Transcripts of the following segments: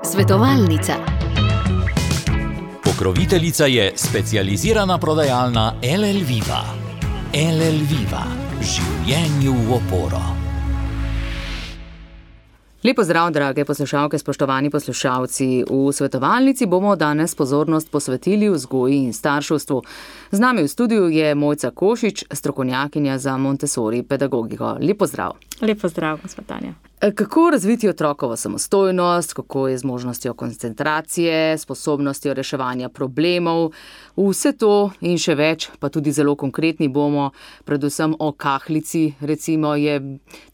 Svetovalnica. Pokroviteljica je specializirana prodajalna LL Viva. LL Viva. Življenju v oporo. Lep pozdrav, drage poslušalke, spoštovani poslušalci. V svetovalnici bomo danes pozornost posvetili vzgoji in starševstvu. Z nami v studiu je Mojca Košič, strokovnjakinja za Montessori pedagogiko. Lep pozdrav. Lep pozdrav, gospod Tanja. Kako razviti otrokovo samostojnost, kako je z možnostjo koncentracije, sposobnostjo reševanja problemov, vse to in še več, pa tudi zelo konkretni bomo, predvsem o kahlici, recimo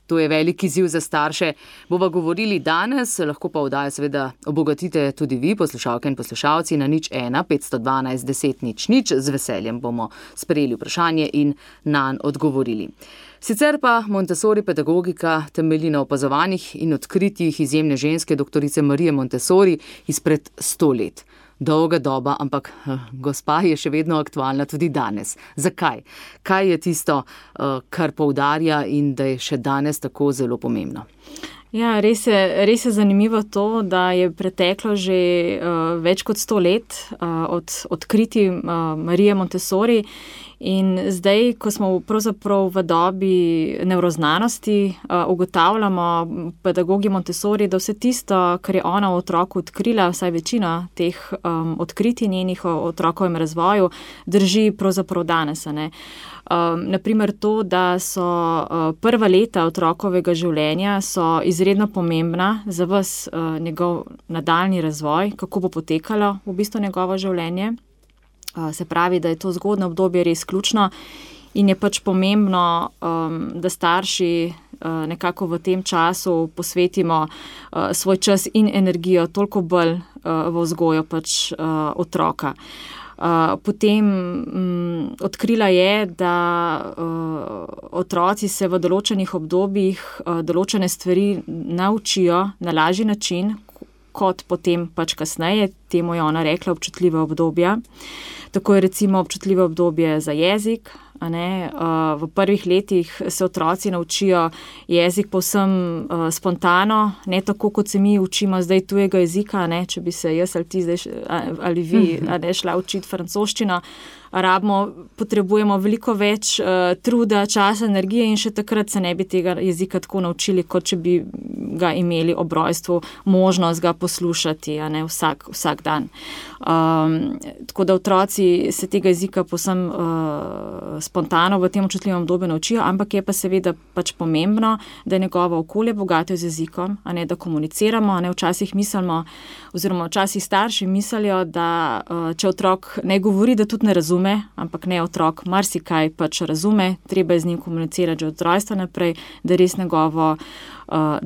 to je velik izziv za starše. Bova govorili danes, lahko pa oddajo seveda obogatite tudi vi, poslušalke in poslušalci, na 01 512 10 00. Z veseljem bomo sprejeli vprašanje in nanj odgovorili. Sicer pa Montessori pedagogika temelji na opazovanjih in odkritjih izjemne ženske doktorice Marije Montessori izpred 100 let. Dolga doba, ampak gospa je še vedno aktualna tudi danes. Zakaj? Kaj je tisto, kar poudarja in da je še danes tako zelo pomembno? Ja, res je zanimivo to, da je preteklo že več kot 100 let od odkritij Marije Montessori. In zdaj, ko smo pravzaprav v dobi nevroznanosti, ugotavljamo pedagogi Montessori, da vse tisto, kar je ona v otroku odkrila, vsaj večina teh odkritij njenih o otrokovem razvoju, drži pravzaprav danes. Naprimer to, da so prva leta otrokovega življenja so izredno pomembna za ves njegov nadaljnji razvoj, kako bo potekalo v bistvu njegovo življenje. Se pravi, da je to zgodnje obdobje res ključno in je pač pomembno, da starši nekako v tem času posvetimo svoj čas in energijo toliko bolj v vzgojo pač otroka. Potem odkrila je, da otroci se v določenih obdobjih določene stvari naučijo na lažji način, kot potem pač kasneje, temu je ona rekla občutljiva obdobja. Tako je recimo občutljivo obdobje za jezik. V prvih letih se otroci naučijo jezik povsem spontano, ne tako, kot se mi učimo zdaj tujega jezika, če bi se jaz ali ti zdaj, ali vi šla učiti francoščino. Potrebujemo veliko več truda, časa, energije in še takrat se ne bi tega jezika tako naučili, kot če bi ga imeli ob rojstvu možnost ga poslušati vsak dan. Tako da otroci se tega jezika povsem spontano v tem občutljivem obdobju naučijo, ampak je pa seveda pač pomembno, da je njegovo okolje bogato z jezikom, da komuniciramo, včasih mislimo, oziroma včasih starši mislijo, da če otrok ne govori, da tudi ne razume, ampak ne, otrok marsikaj pač razume, treba je z njim komunicirati že od rojstva naprej, da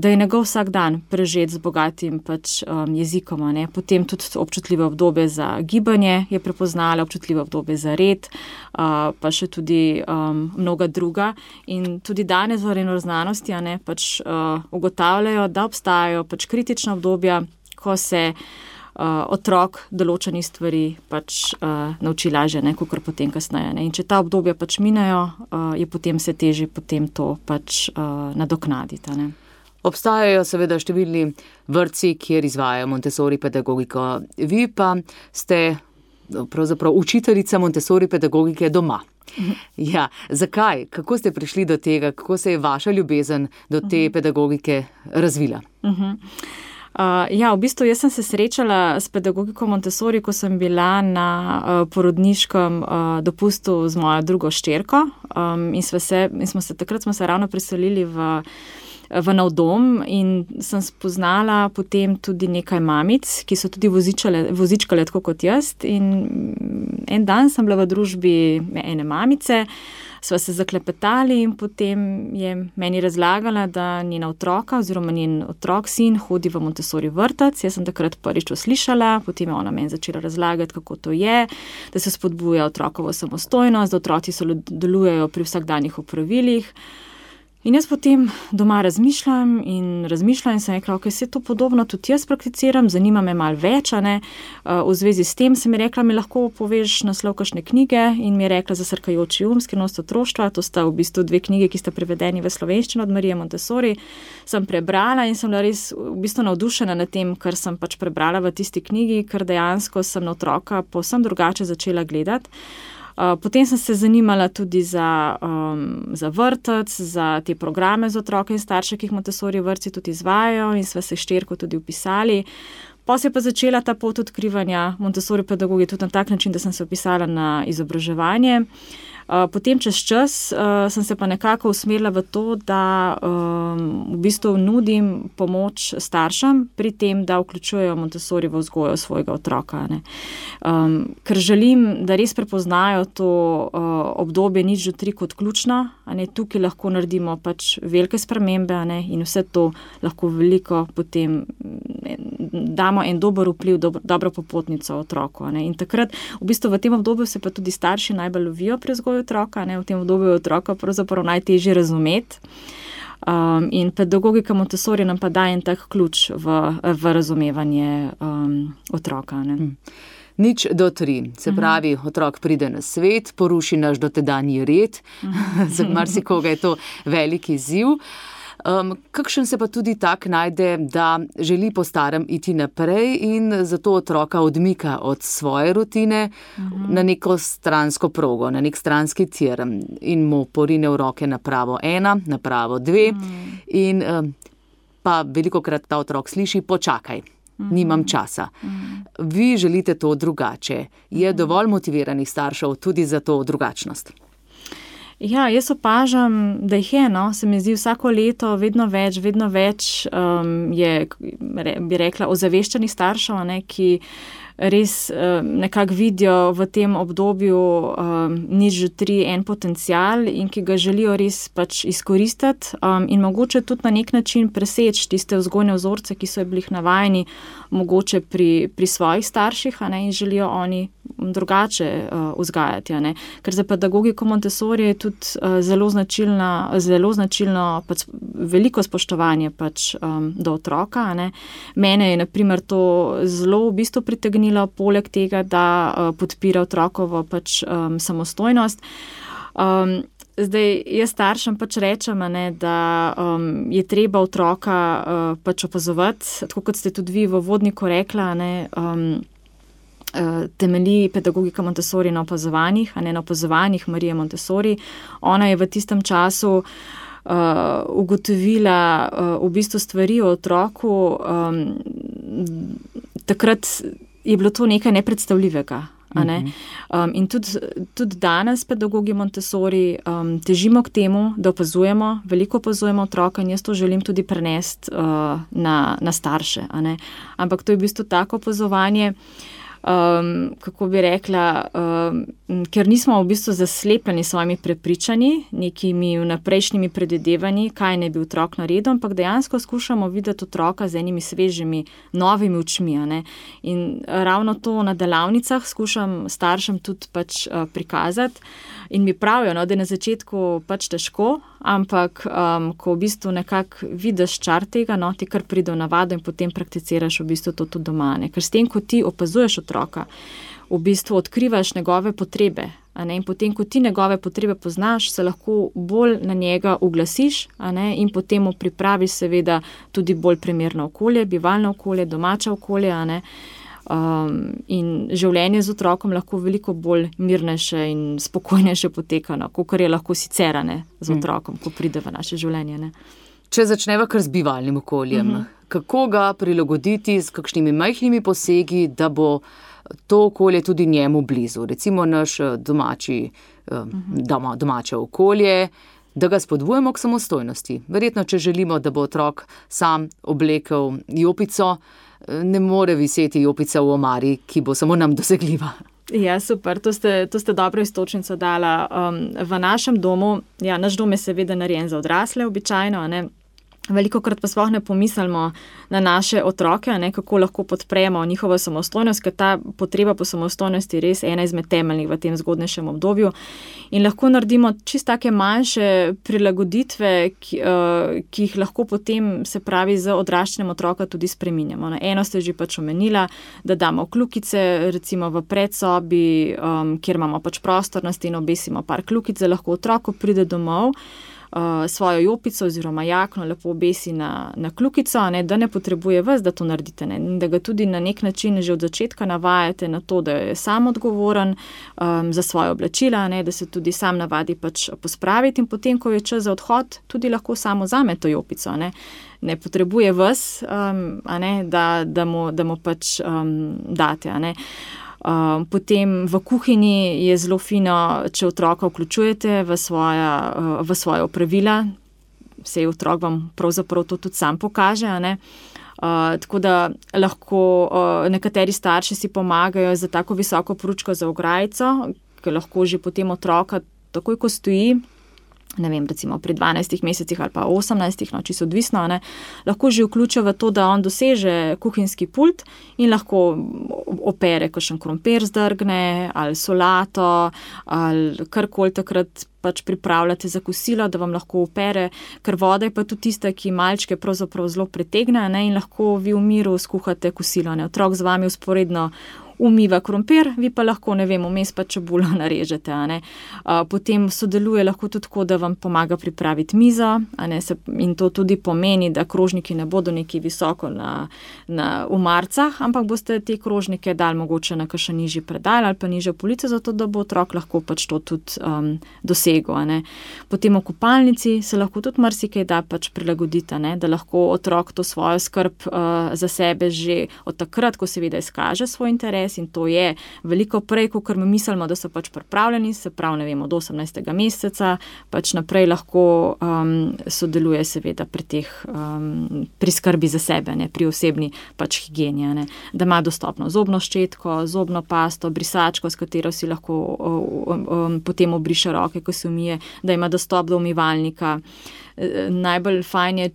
je njegov vsak dan prežet z bogatim pač jezikom. Potem tudi občutljivo obdobje za gibanje je prepoznala, občutljivo obdobje za red, pa še tudi mnoga druga. In tudi danes v nevroznanosti pač ugotavljajo, da obstajajo pač kritična obdobja, ko se otrok določenih stvari pač nauči lažje, kakor potem kasneje. In če ta obdobja pač minajo, je potem se težje potem to pač nadoknaditi. Obstajajo seveda številni vrtci, kjer izvajajo Montessori pedagogiko. Vi pa ste pravzaprav učiteljica Montessori pedagogike doma. Ja, zakaj? Kako ste prišli do tega? Kako se je vaša ljubezen do te pedagogike razvila? V bistvu jaz sem se srečala s pedagogiko Montessori, ko sem bila na porodniškem dopustu z mojo drugo hčerko in takrat smo se ravno preselili v nov dom in sem spoznala potem tudi nekaj mamic, ki so tudi vozičkale tako kot jaz, in en dan sem bila v družbi ene mamice, sva se zaklepetali in potem je meni razlagala, da njena otroka oziroma njen otrok, sin, hodi v Montessori vrtec. Jaz sem takrat prvič slišala, potem je ona meni začela razlagati, kako to je, da se spodbuja otrokovo samostojnost, da otroci sodelujejo pri vsakdanjih opravilih. In jaz potem doma razmišljam in sem rekla, ok, se to podobno tudi jaz prakticiram, zanima me malo več, v zvezi s tem sem mi rekla, mi lahko poveš naslov kakšne knjige in mi je rekla Zasrkajoči um, Skrivnost otroštva, to sta v bistvu 2 knjige, ki sta prevedeni v slovenščino od Marije Montessori, sem prebrala in sem bila res v bistvu navdušena nad tem, kar sem pač prebrala v tisti knjigi, ker dejansko sem na otroka povsem drugače začela gledati. Potem sem se zanimala tudi za vrtec, za te programe za otroke in starše, ki jih Montessori vrtci tudi izvajajo in sva se hčerko tudi vpisali. Pa se je pa začela ta pot odkrivanja Montessori pedagogije tudi na tak način, da sem se vpisala na izobraževanje. Potem čez čas sem se pa nekako usmerila v to, da v bistvu nudim pomoč staršem pri tem, da vključujejo Montessori v vzgojo svojega otroka. Ker želim, da res prepoznajo to obdobje 0-3 kot ključno, tukaj lahko naredimo pač velike spremembe in vse to lahko veliko potem damo en dober vpliv, dobro popotnico otroku. In takrat v bistvu v tem obdobju se pa tudi starši najbolj lovijo pri vzgoju otroka, v tem obdobju je otroka pravzaprav najtežje razumeti. In pedagogika Montessori nam pa daje en tak ključ v razumevanje otroka. 0-3, se pravi, otrok pride na svet, poruši naš dotedanji red, za marsikoga je to velik izziv. Kakšen se pa tudi tak najde, da želi po starem iti naprej in zato otroka odmika od svoje rutine na neko stransko progo, na nek stranski tir in mu porine v roke napravo 1, napravo 2 in pa velikokrat ta otrok sliši, počakaj, nimam časa. Vi želite to drugače. Je dovolj motiviranih staršev tudi za to drugačnost? Ja, jaz opažam, da jih je, se mi zdi vsako leto vedno več je, bi rekla, ozaveščenih staršev, ki res nekako vidijo v tem obdobju 0-3 en potencial in ki ga želijo res pač izkoristiti in mogoče tudi na nek način preseči tiste vzgojne vzorce, ki so bili navajeni mogoče pri svojih starših in želijo oni drugače vzgajati. Ker za pedagogiko Montessori je tudi zelo značilno pač veliko spoštovanje pač do otroka. Mene je na primer to zelo v bistvu pritegnilo, poleg tega, da podpira otrokovo pač samostojnost. Zdaj, jaz staršem pač rečem, da je treba otroka pač opazovati, tako kot ste tudi vi v vodniku rekla, temelji pedagogika Montessori na opazovanjih, na opazovanjih Marije Montessori. Ona je v tistem času ugotovila v bistvu stvari o otroku, takrat je bilo to nekaj nepredstavljivega. In tudi danes pedagogi Montessori težimo k temu, da opazujemo, veliko opazujemo otroka in jaz to želim tudi prenesti na starše. Ampak to je v bistvu tako opazovanje, kako bi rekla, ker nismo v bistvu zaslepljeni s svojimi prepričanji, nekimi vnaprejšnjimi predvidevanji, kaj naj bi otrok naredil, ampak dejansko skušamo videti otroka z enimi svežimi, novimi očmi. In ravno to na delavnicah skušam staršem tudi pač prikazati in mi pravijo, da je na začetku pač težko, ampak ko v bistvu nekako vidiš čar tega, ti kar pride v navado in potem prakticiraš v bistvu to tudi doma. Ker s tem, ko ti opazuješ otroka, v bistvu odkrivaš njegove potrebe. In potem, ko ti njegove potrebe poznaš, se lahko bolj na njega uglasiš in potem mu pripraviš seveda tudi bolj primerno okolje, bivalno okolje, domače okolje. In življenje z otrokom lahko veliko bolj mirnejše in spokojnejše poteka, kot je lahko sicer z otrokom, ko pride v naše življenje. Če začneva kar z bivalnim okoljem, kako ga prilagoditi s kakšnimi majhnimi posegi, da bo to okolje tudi njemu blizu? Recimo naš domače okolje, da ga spodbujemo k samostojnosti. Verjetno, če želimo, da bo otrok sam oblekel jopico, ne more viseti jopica v omari, ki bo samo nam dosegljiva. Ja, super, to ste dobro iztočnico dala. V našem domu, naš dom je seveda narejen za odrasle običajno, Velikokrat pa sploh ne pomislimo na naše otroke, kako lahko podpremo njihovo samostojnost, ker ta potreba po samostojnosti je res ena izmed temeljnih v tem zgodnejšem obdobju. In lahko naredimo čisto take manjše prilagoditve, ki jih lahko potem, se pravi, z odraščanjem otroka tudi spreminjamo. Eno ste že pač omenila, da damo kljukice, recimo v predsobi, kjer imamo pač prostor na steno, obesimo par kljukic, da lahko otrok, ko pride domov, svojo jopico oziroma jakno lepo obesi na kljukico, da ne potrebuje vas, da to naredite. In da ga tudi na nek način že od začetka navajate na to, da je sam odgovoren za svoje oblačila, da se tudi sam navadi pač pospraviti in potem, ko je čas za odhod, tudi lahko samo vzame to jopico. Ne potrebuje vas, da mu pač date. Potem v kuhinji je zelo fino, če otroka vključujete v svoje opravila, saj otrok vam pravzaprav to tudi sam pokaže, tako da lahko nekateri starši si pomagajo za tako visoko pručko za ograjico, ker lahko že potem otroka takoj, ko stoji, ne vem, recimo pri 12 mesecih ali pa 18, čisto odvisno, lahko že vključijo v to, da on doseže kuhinjski pult in lahko opere kakšen krompir zdrgne ali solato ali karkoli takrat pač pripravljate za kosilo, da vam lahko opere, ker voda je pa tudi tista, ki malčke pravzaprav zelo pritegne, in lahko vi v miru skuhate kosilo. Otrok z vami vzporedno umiva krompir, vi pa lahko, ne vem, vmes pa čebulo narežete. Potem sodeluje lahko tudi tako, da vam pomaga pripraviti mizo, in to tudi pomeni, da krožniki ne bodo nekaj visoko na umarcah, ampak boste te krožnike dali mogoče na kakšen nižji predal ali pa nižjo polico, zato da bo otrok lahko pač to tudi dosegel. Potem v kopalnici se lahko tudi marsikaj da pač prilagoditi, da lahko otrok to svojo skrb za sebe že od takrat, ko seveda izkaže svoj interes, in to je veliko prej, kot mi mislimo, da so pač pripravljeni, se pravi, ne vem, od 18. meseca, pač naprej lahko sodeluje seveda pri skrbi za sebe, pri osebni pač higieni, da ima dostopno zobno ščetko, zobno pasto, brisačko, s katero si lahko potem obriše roke, ko se umije, da ima dostop do umivalnika. Najbolj fajn je,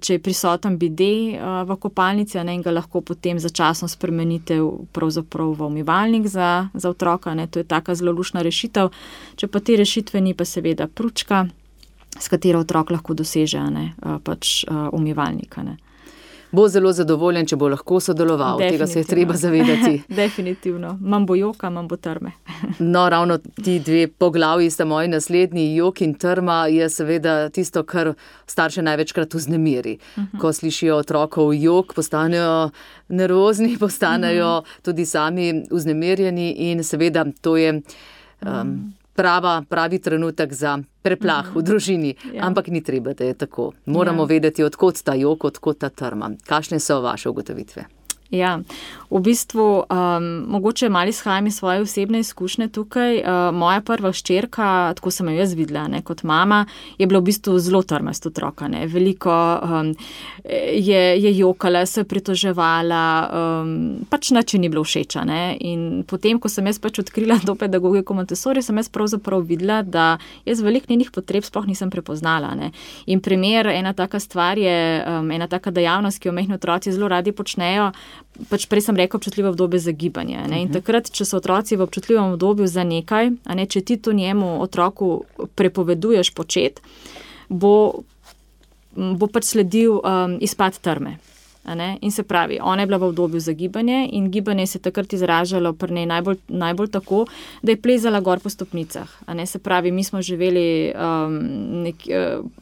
če je prisoten bide v kopalnici, in ga lahko potem začasno spremenite pravzaprav v umivalnik za otroka. To je taka zelo luštna rešitev. Če pa te rešitve ni, pa seveda pručka, s katero otrok lahko doseže pač umivalnika. Bo zelo zadovoljen, če bo lahko sodeloval. Tega se je treba zavedati. Definitivno. Manj bo joka, manj bo trme. No, ravno ti dve poglavji sta moji naslednji. Jok in trma je seveda tisto, kar starše največkrat vznemiri. Ko slišijo otrokov jok, postanejo nervozni, postanejo tudi sami vznemirjeni in seveda to je pravi trenutek za preplah v družini, ampak ni treba, da je tako. Moramo vedeti, odkot ta jok, odkot ta trma. Kakšne so vaše ugotovitve? Ja, v bistvu mogoče malo izhajam iz svoje osebne izkušnje tukaj. Moja prva hčerka, tako sem jo jaz videla, kot mama, je bila v bistvu zelo trmast otroka. Veliko je jokala, se pritoževala, pač nič ni bilo všeča. In potem, ko sem jaz pač odkrila to pedagogiko Montessori, sem jaz pravzaprav videla, da jaz veliko njenih potreb sploh nisem prepoznala. In primer, ena taka stvar je, ena taka dejavnost, ki jo majhni otroci zelo radi počnejo, pač prej sem rekel občutljivo obdobje za gibanje. In takrat, če so otroci v občutljivem obdobju za nekaj, če ti to njemu otroku prepoveduješ početi, bo pač sledil izpad trme. In se pravi, ona je bila v obdobju za gibanje in gibanje se takrat izražalo pri njej najbolj tako, da je plezala gor po stopnicah. Se pravi, mi smo živeli,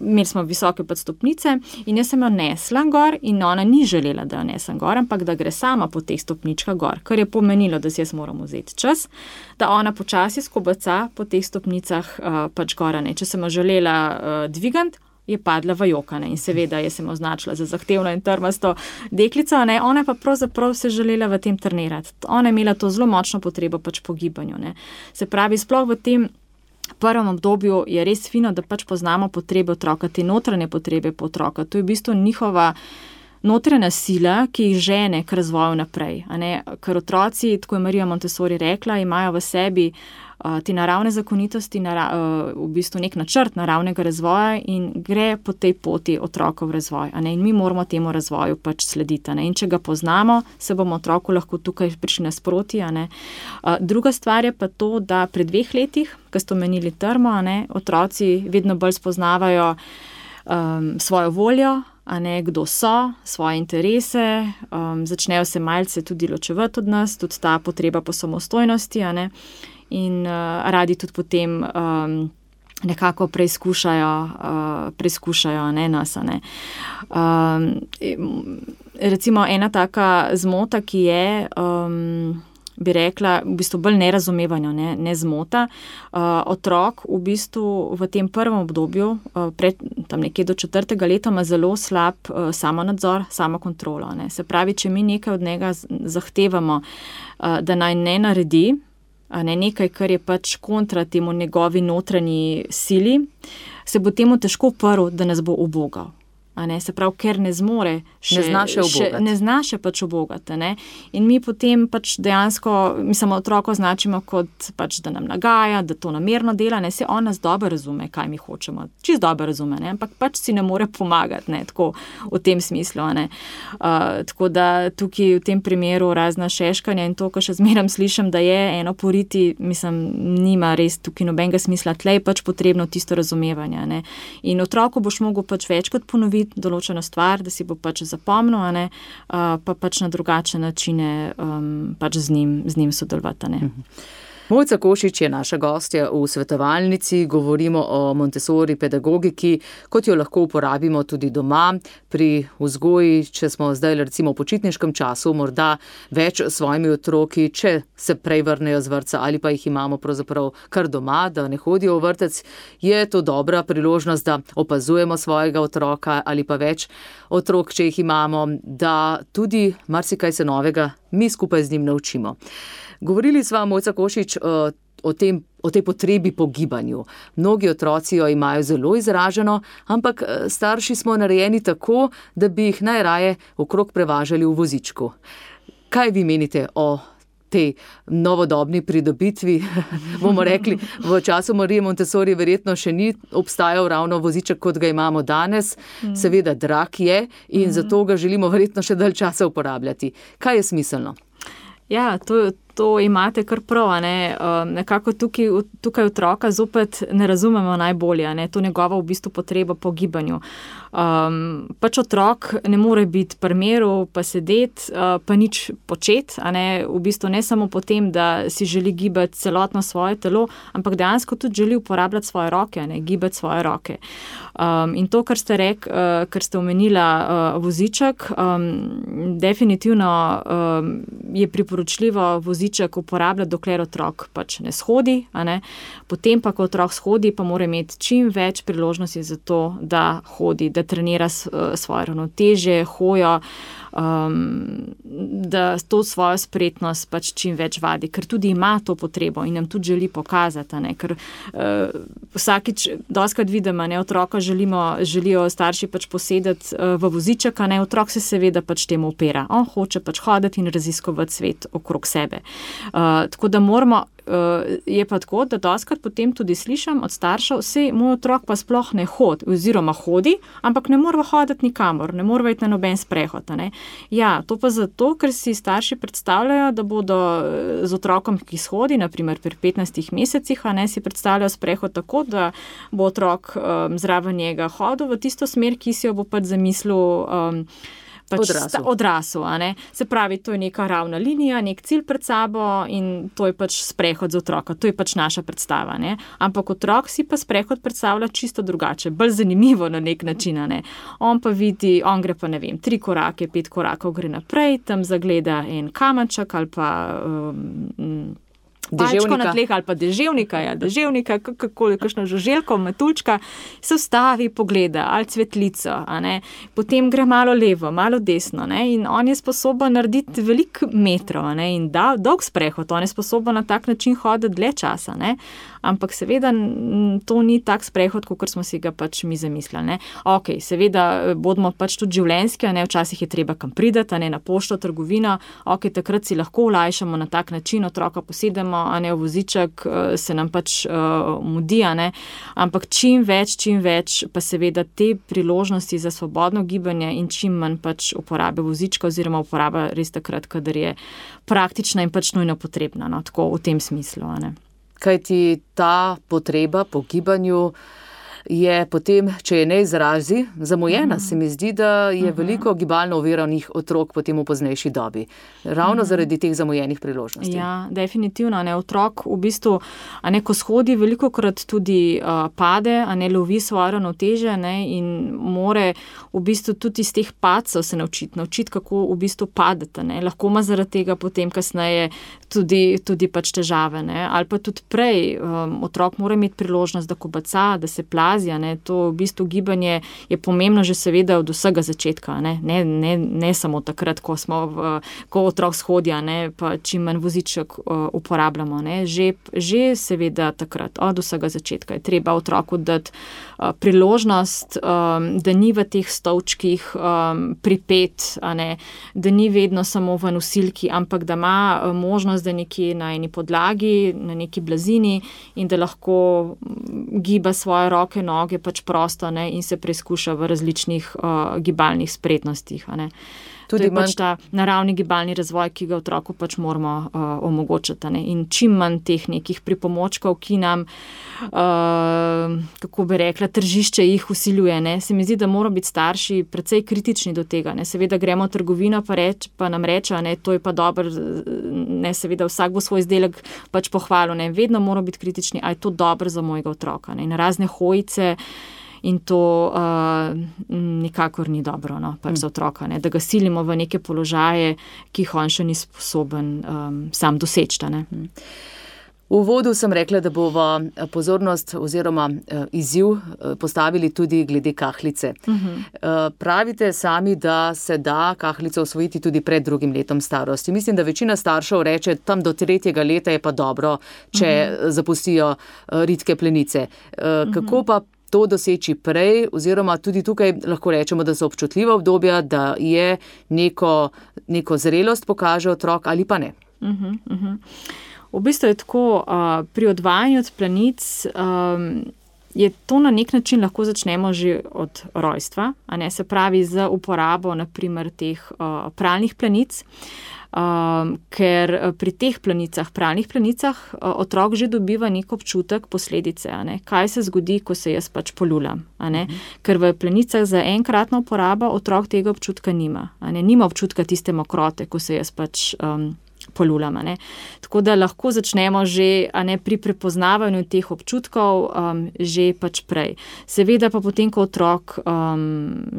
imeli smo visoke pač stopnice in jaz sem jo nesla gor in ona ni želela, da jo nesem gor, ampak da gre sama po teh stopničkah gor, kar je pomenilo, da si jaz moram vzeti čas, da ona počasi skobaca po teh stopnicah pač gor. Če sem jo želela dvigant, je padla v jokane in seveda je se mu označila za zahtevno in trmasto deklico, ona pa pravzaprav se želela v tem trenirati. Ona je imela to zelo močno potrebo pač po gibanju. Se pravi, sploh v tem prvem obdobju je res fino, da pač poznamo potrebe otroka, te notranje potrebe po otroka. To je v bistvu njihova notranja sila, ki jih žene k razvoju naprej. Ker otroci, tako je Marija Montessori rekla, imajo v sebi te naravne zakonitosti, v bistvu nek načrt naravnega razvoja in gre po tej poti otrokov razvoj. In mi moramo temu razvoju pač slediti. In če ga poznamo, se bomo otroku lahko tukaj prišli nasproti. Druga stvar je pa to, da pri 2 letih, ko ste omenili termo, otroci vedno bolj spoznavajo svojo voljo, kdo so, svoje interese, začnejo se malce tudi ločevati od nas, tudi ta potreba po samostojnosti, in radi tudi potem nekako preizkušajo nas. Recimo ena taka zmota, ki je, bi rekla, v bistvu bolj nerazumevanja, ne zmota. Otrok v bistvu v tem prvem obdobju, tam nekje do 4. leta, ima zelo slab samonadzor, samokontrolo. Se pravi, če mi nekaj od njega zahtevamo, da naj ne naredi, nekaj, kar je pač kontra temu njegovi notranji sili, se bo temu težko uprl, da nas bo ubogal. Se pravi, ker ne zmore ne zna še pač ubogati. In mi potem pač dejansko, otroko označimo kot pač, da nam nagaja, da to namerno dela, se on nas dobro razume, kaj mi hočemo, čisto dobro razume, ampak pač si ne more pomagati, tako v tem smislu. Tako da tukaj v tem primeru razna šeškanja in to, ko še zmeram slišim, da je eno poriti, nima res tukaj nobenega smisla, tlej pač potrebno tisto razumevanje. In otroku boš mogel pač večkrat ponoviti določeno stvar, da si bo pač zapomnil, pa pač na drugačne načine pač z njim sodelovati. Mojca Košič je naša gostja v svetovalnici, govorimo o Montessori pedagogiki, kot jo lahko uporabimo tudi doma, pri vzgoji, če smo zdaj recimo v počitniškem času, morda več s svojimi otroki, če se prej vrnejo z vrtca ali pa jih imamo pravzaprav kar doma, da ne hodijo v vrtec, je to dobra priložnost, da opazujemo svojega otroka ali pa več otrok, če jih imamo, da tudi marsikaj se novega mi skupaj z njim naučimo. Govorili sva, Mojca Košič, o tej potrebi po gibanju. Mnogi otroci jo imajo zelo izraženo, ampak starši smo narejeni tako, da bi jih najraje okrog prevažali v vozičku. Kaj vi menite o tej novodobni pridobitvi? Bomo rekli, v času Marije Montessori verjetno še ni obstajal ravno voziček, kot ga imamo danes. Seveda drag je in zato ga želimo verjetno še dalj časa uporabljati. Kaj je smiselno? Ja, to imate kar prav, nekako tukaj otroka zopet ne razumemo najbolje, to njegovo v bistvu potrebo po gibanju. Pač otrok ne more biti pri miru, pa sedeti, pa nič početi, v bistvu ne samo potem, da si želi gibati celotno svoje telo, ampak dejansko tudi želi uporabljati svoje roke, gibati svoje roke. In to, kar ste omenila voziček, definitivno je priporočljivo voziček uporabljati, dokler otrok pač ne shodi, Potem pa, ko otrok shodi, pa mora imeti čim več priložnosti za to, da hodi, da trenira svoje ravnotežje, hojo, da to svojo spretnost pač čim več vadi, ker tudi ima to potrebo in nam tudi želi pokazati, ker vsakič dostikrat vidimo, otroka želijo starši pač posedeti v voziček, otrok se seveda pač temu upira. On hoče pač hoditi in raziskovati svet okrog sebe. Tako da moramo, je pa tako, da dostikrat potem tudi slišim od staršev, saj moj otrok pa sploh ne hodi, oziroma hodi, ampak ne mora hoditi nikamor, ne mora iti na noben sprehod. Ja, to pa zato, ker si starši predstavljajo, da bodo z otrokom, ki shodi, naprimer pri 15 mesecih, si predstavljajo sprehod tako, da bo otrok zraven njega hodil v tisto smer, ki si jo bo pač zamislil odrasel. Se pravi, to je neka ravna linija, nek cilj pred sabo in to je pač sprehod za otroka. To je pač naša predstava. Ampak otrok si pa sprehod predstavlja čisto drugače, bolj zanimivo na nek način. On pa vidi, on gre pa 3 korake, 5 korakov gre naprej, tam zagleda en kamenček ali pa palčko na tleh ali pa deževnika, kakšno žuželko, metuljčka, se vstavi, pogleda ali cvetlico, a ne, potem gre malo levo, malo desno, ne, in on je sposoben narediti veliko metrov, a ne, in dolg sprehod, on je sposoben na tak način hoditi dlje časa, ne, ampak seveda to ni tak sprehod, kot smo si ga pač mi zamislili, ne. Ok, seveda bodimo pač tudi življenjski, a ne, včasih je treba kam prideti, a ne, na pošto, trgovino, ok, takrat si lahko olajšamo na tak način, otroka posedemo, a ne, v voziček, se nam pač mudi, a ne, ampak čim več pa seveda te priložnosti za svobodno gibanje in čim manj pač uporabe vozička oziroma uporaba res takrat, kadar je praktična in pač nujno potrebna, no, tako v tem smislu, a ne. Kaj ti ta potreba po gibanju je potem, če je ne izrazi, zamujena. Se mi zdi, da je veliko gibalno oviranih otrok potem v poznejši dobi. Ravno zaradi teh zamujenih priložnosti. Ja, definitivno. Ne, otrok v bistvu, a ne, ko shodi, velikokrat tudi pade, a ne, lovi svojo ravnotežje, ne, in more v bistvu tudi iz teh padcev se naučiti, kako v bistvu padete, ne. Lahko ima zaradi tega potem kasneje tudi pač težave, ne. Ali pa tudi prej, otrok mora imeti priložnost, da kobaca, da se plazi, ne, to v bistvu gibanje je pomembno že seveda od vsega začetka, ne samo takrat, ko otrok shodi, ne, pa čim manj voziček uporabljamo, ne, že seveda takrat, od vsega začetka je treba otroku dati priložnost, da ni v teh stolčkih pripet, a ne, da ni vedno samo v nosilki, ampak da ima možnost, da nekje na eni podlagi, na neki blazini in da lahko giba svoje roke, noge pač prosto, ne, in se preizkuša v različnih gibalnih spretnostih, a ne. To je pač ta naravni gibalni razvoj, ki ga otroku pač moramo omogočiti, ne. In čim manj teh nekih pripomočkov, ki nam, kako bi rekla, tržišče jih vsiljuje, ne. Se mi zdi, da moramo biti starši precej kritični do tega, ne. Seveda gremo v trgovino, pa nam reče, ne, to je pa dobro, ne, seveda vsak bo svoj izdelek pač pohvalil, ne. Vedno moramo biti kritični, a je to dobro za mojega otroka, ne. In razne hojice in to nikakor ni dobro, no, pač za otroka, ne, da ga silimo v neke položaje, ki jih on še ni sposoben sam doseči, ne. V uvodu sem rekla, da bova pozornost oziroma izziv postavili tudi glede kahlice. Pravite sami, da se da kahlico osvojiti tudi pred 2. letom starosti. Mislim, da večina staršev reče, tam do 3. leta je pa dobro, če zapustijo ritke plenice. Kako pa to doseči prej, oziroma tudi tukaj lahko rečemo, da so občutljiva obdobja, da je neko zrelost pokaže otrok ali pa ne? V bistvu je tako, pri odvajanju od plenic je to na nek način lahko začnemo že od rojstva, a ne, se pravi z uporabo naprimer teh pralnih plenic, ker pri teh plenicah, pralnih plenicah, otrok že dobiva nek občutek posledice, a ne, kaj se zgodi, ko se jaz pač polulam, a ne, ker v plenicah za enkratno uporabo otrok tega občutka nima, a ne, nima občutka tiste mokrote, ko se jaz pač polulam, a ne. Tako da lahko začnemo že, a ne, pri prepoznavanju teh občutkov že pač prej. Seveda pa potem, ko otrok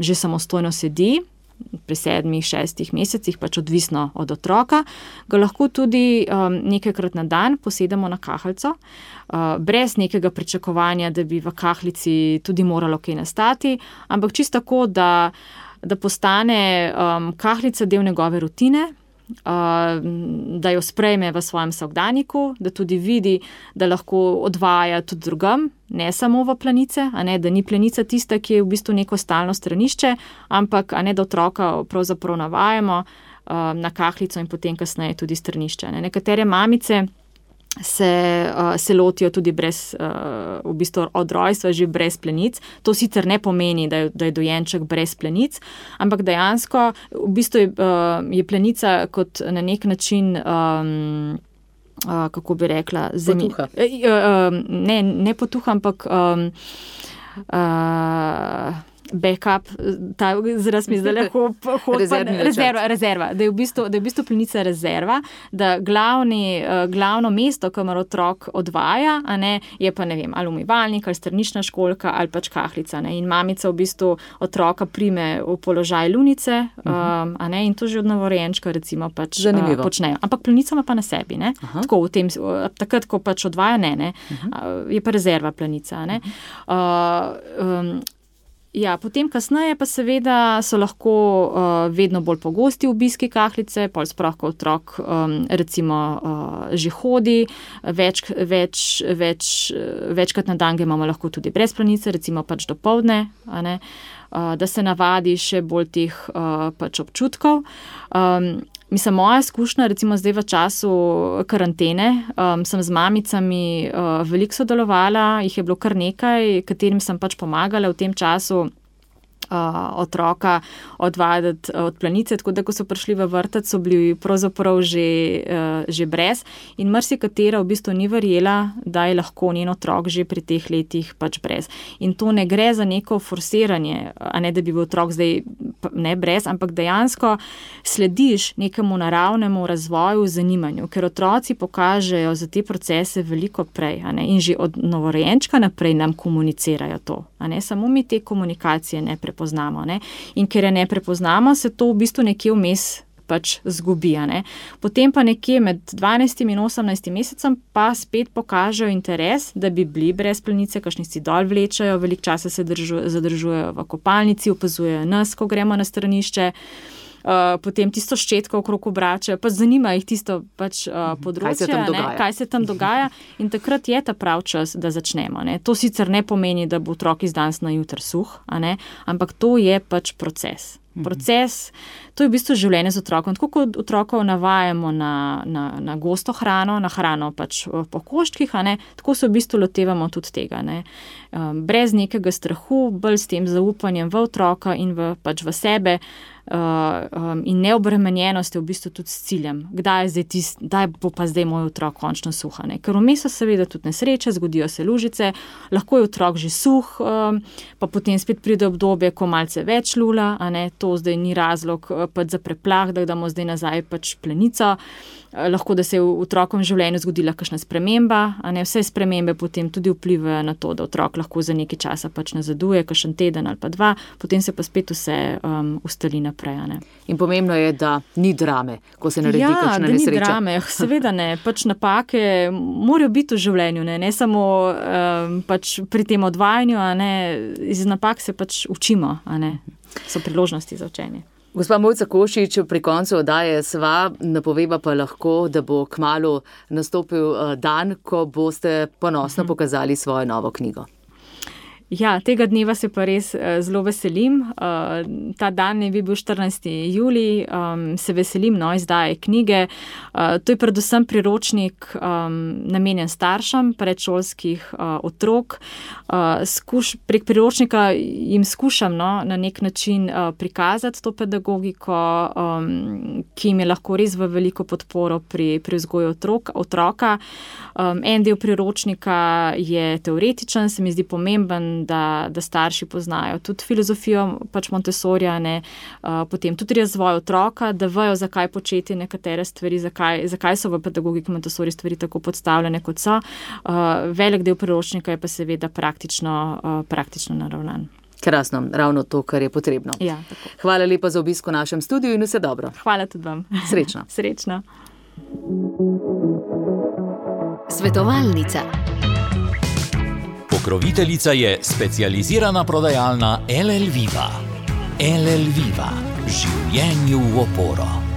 že samostojno sedi, pri 7-6 mesecih, pač odvisno od otroka, ga lahko tudi nekajkrat na dan posedemo na kahljico, brez nekega pričakovanja, da bi v kahlici tudi moralo kaj nastati, ampak čisto tako, da postane kahljica del njegove rutine, da jo sprejme v svojem vsakdanjiku, da tudi vidi, da lahko odvaja tudi drugam, ne samo v plenice, a ne, da ni plenica tista, ki je v bistvu neko stalno stranišče, ampak, a ne, da otroka pravzaprav navajamo na kahlico in potem kasneje tudi stranišče. Ne. Nekatere mamice se lotijo tudi brez, v bistvu od rojstva že brez plenic. To sicer ne pomeni, da je dojenček brez plenic, ampak dejansko v bistvu je plenica kot na nek način, kako bi rekla, potuha. Ne potuha, ampak backup, ta izraz mi zdaj lahko rezerva, da je v bistvu plenica rezerva, da glavno mesto, kamor otrok odvaja, a ne, je pa, ne vem, ali umivalnik, ali stranična školjka, ali pač kahlica, ne, in mamica v bistvu otroka prime v položaj lunice, a ne, in to že od novorojenčka recimo pač počnejo. Ampak plenica ima pa na sebi, ne, tako v tem, takrat, ko pač odvaja, ne, je pa rezerva plenica, ne. Ja, potem kasneje pa seveda so lahko vedno bolj pogosti obiski kahlice, pol sploh, ko otrok recimo že hodi, večkrat na dan ga imamo lahko tudi brez plenice, recimo pač dopoldne, a ne, da se navadi še bolj teh pač občutkov. Mislim, moja izkušnja, recimo zdaj v času karantene, sem z mamicami veliko sodelovala, jih je bilo kar nekaj, katerim sem pač pomagala v tem času otroka odvajati od plenice, tako da ko so prišli v vrtec, so bili pravzaprav že brez in marsikatera v bistvu ni verjela, da je lahko njen otrok že pri teh letih pač brez. In to ne gre za neko forsiranje, a ne da bi bil otrok zdaj ne brez, ampak dejansko slediš nekemu naravnemu razvoju, zanimanju, ker otroci pokažejo za te procese veliko prej, a ne, in že od novorojenčka naprej nam komunicirajo to, a ne, samo mi te komunikacije ne prepoznamo, ne, in ker je ne prepoznamo, se to v bistvu nekje vmes pač zgubi, a ne. Potem pa nekje med 12 in 18 mesecem pa spet pokažejo interes, da bi bili brez plenice, kakšni si dol vlečajo, veliko časa se zadržujejo v kopalnici, opazujejo nas, ko gremo na stranišče, potem tisto ščetko okrog obračajo, pa zanima jih tisto pač področje, kaj se tam dogaja in takrat je ta prav čas, da začnemo, ne. To sicer ne pomeni, da bo otrok iz danes na jutri suh, a ne, ampak to je pač proces. To je v bistvu življenje z otrokom. Tako kot otrokov navajamo na gosto hrano, na hrano pač po koščkih, a ne, tako se v bistvu lotevamo tudi tega, ne. Brez nekega strahu, bolj s tem zaupanjem v otroka in pač v sebe in neobremenjenost je v bistvu tudi s ciljem. Kdaj bo pa zdaj moj otrok končno suh, a ne. Ker vmes so seveda tudi nesreče, zgodijo se lužice, lahko je otrok že suh, pa potem spet pride obdobje, ko malce več lula, a ne, to zdaj ni razlog pač za preplah, da damo zdaj nazaj pač plenico. Lahko, da se je v otrokovem življenju zgodila kakšna sprememba, a ne, vse spremembe potem tudi vplivajo na to, da otrok lahko za nekaj časa pač nazaduje, kakšen teden ali pa dva, potem se pa spet vse ustali naprej, a ne. In pomembno je, da ni drame, ko se naredi kakšna nesreča. Ja, da ni drame, seveda ne, pač napake morajo biti v življenju, ne samo pač pri tem odvajanju, a ne, iz napak se pač učimo, a ne, so priložnosti za učenje. Gospa Mojca Košič, pri koncu oddaje sva, napoveva pa lahko, da bo kmalu nastopil dan, ko boste ponosno pokazali svojo novo knjigo. Ja, tega dneva se pa res zelo veselim. Ta dan je bil 14. julij, se veselim izdaje knjige. To je predvsem priročnik namenjen staršem predšolskih otrok. Prek priročnika jim skušam na nek način prikazati to pedagogiko, ki jim je lahko res v veliko podporo pri vzgoju otroka. En del priročnika je teoretičen, se mi zdi pomemben, da starši poznajo tudi filozofijo pač Montessorija, ne, potem tudi razvoj otroka, da vejo, zakaj početi nekatere stvari, zakaj so v pedagogiki Montessori stvari tako podstavljene, kot so. Velik del priročnika je pa seveda praktično naravnan. Krasno, ravno to, kar je potrebno. Ja, tako. Hvala lepa za obisk v našem studiu in vse dobro. Hvala tudi vam. Srečno. Srečno. Svetovalnica. Pokroviteljica je specializirana prodajalna LL Viva. LL Viva. Življenju v oporo.